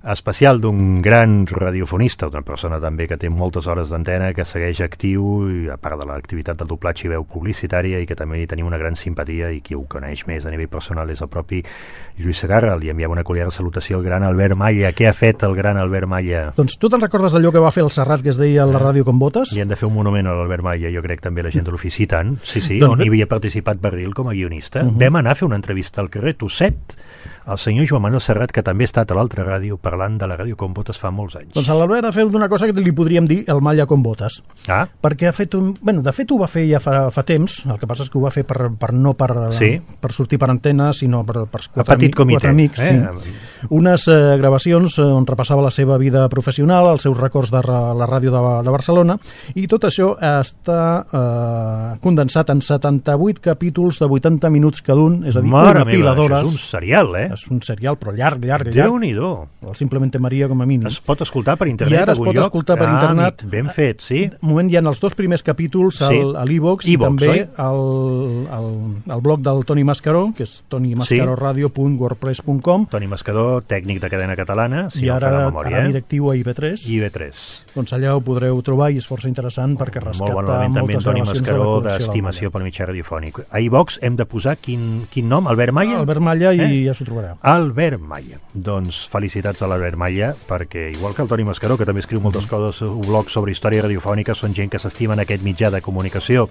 Especial d'un gran radiofonista, una persona també que té moltes hores d'antena, que segueix actiu, i a part de l'activitat del doblatge i veu publicitària, i que també hi tenim una gran simpatia, i qui ho coneix més a nivell personal és el propi Lluís Segarra. Li enviava una cordial salutació al gran Albert Malla. Què ha fet el gran Albert Malla? Doncs tu te'n recordes d'allò que va fer el Serrat, que es deia a la ràdio com botes? I hem de fer un monument a l'Albert Malla, jo crec també la gent de l'ofici tant. Sí, doncs on hi havia participat Barril com a guionista. Vam anar a fer una entrevista al carrer Tosset el senyor Joan Manuel Serrat, que també ha estat a l'altra ràdio parlant de la ràdio com botes fa molts anys. Doncs l'Albert ha fet una cosa que li podríem dir el Malla com botes. Perquè ha fet de fet ho va fer ja fa temps, el que passa és que ho va fer no per sortir per antena, sinó per quatre amics. Sí. Unes gravacions on repassava la seva vida professional, els seus records de la ràdio de Barcelona, i tot això està condensat en 78 capítols de 80 minuts cada un, és a dir, una pila d'hores. És un serial, És un serial, però llarg. Déu-n'hi-do. El Simplemente Maria com a mínim. Es pot escoltar per internet I ara es pot escoltar per internet. Ben fet, sí. De moment hi ha els dos primers capítols a l'e-box i també al blog del Toni Mascaró, que és tonimascaroradio.wordpress.com. Toni Mascaró, tècnic de cadena catalana, si no fa la memòria. I ara directiu a IB3. Doncs allà ho podreu trobar i és força interessant perquè rescata moltes gravacions de la col·lecció. D'estimació per mitjà radiofònic. A iVox hem de posar quin nom? Albert Malla? Albert Malla i ja s'ho trobareu. Albert Malla. Doncs felicitats a l'Albert Malla, perquè igual que el Toni Mascaró, que també escriu moltes coses, blogs sobre història radiofònica, són gent que s'estimen aquest mitjà de comunicació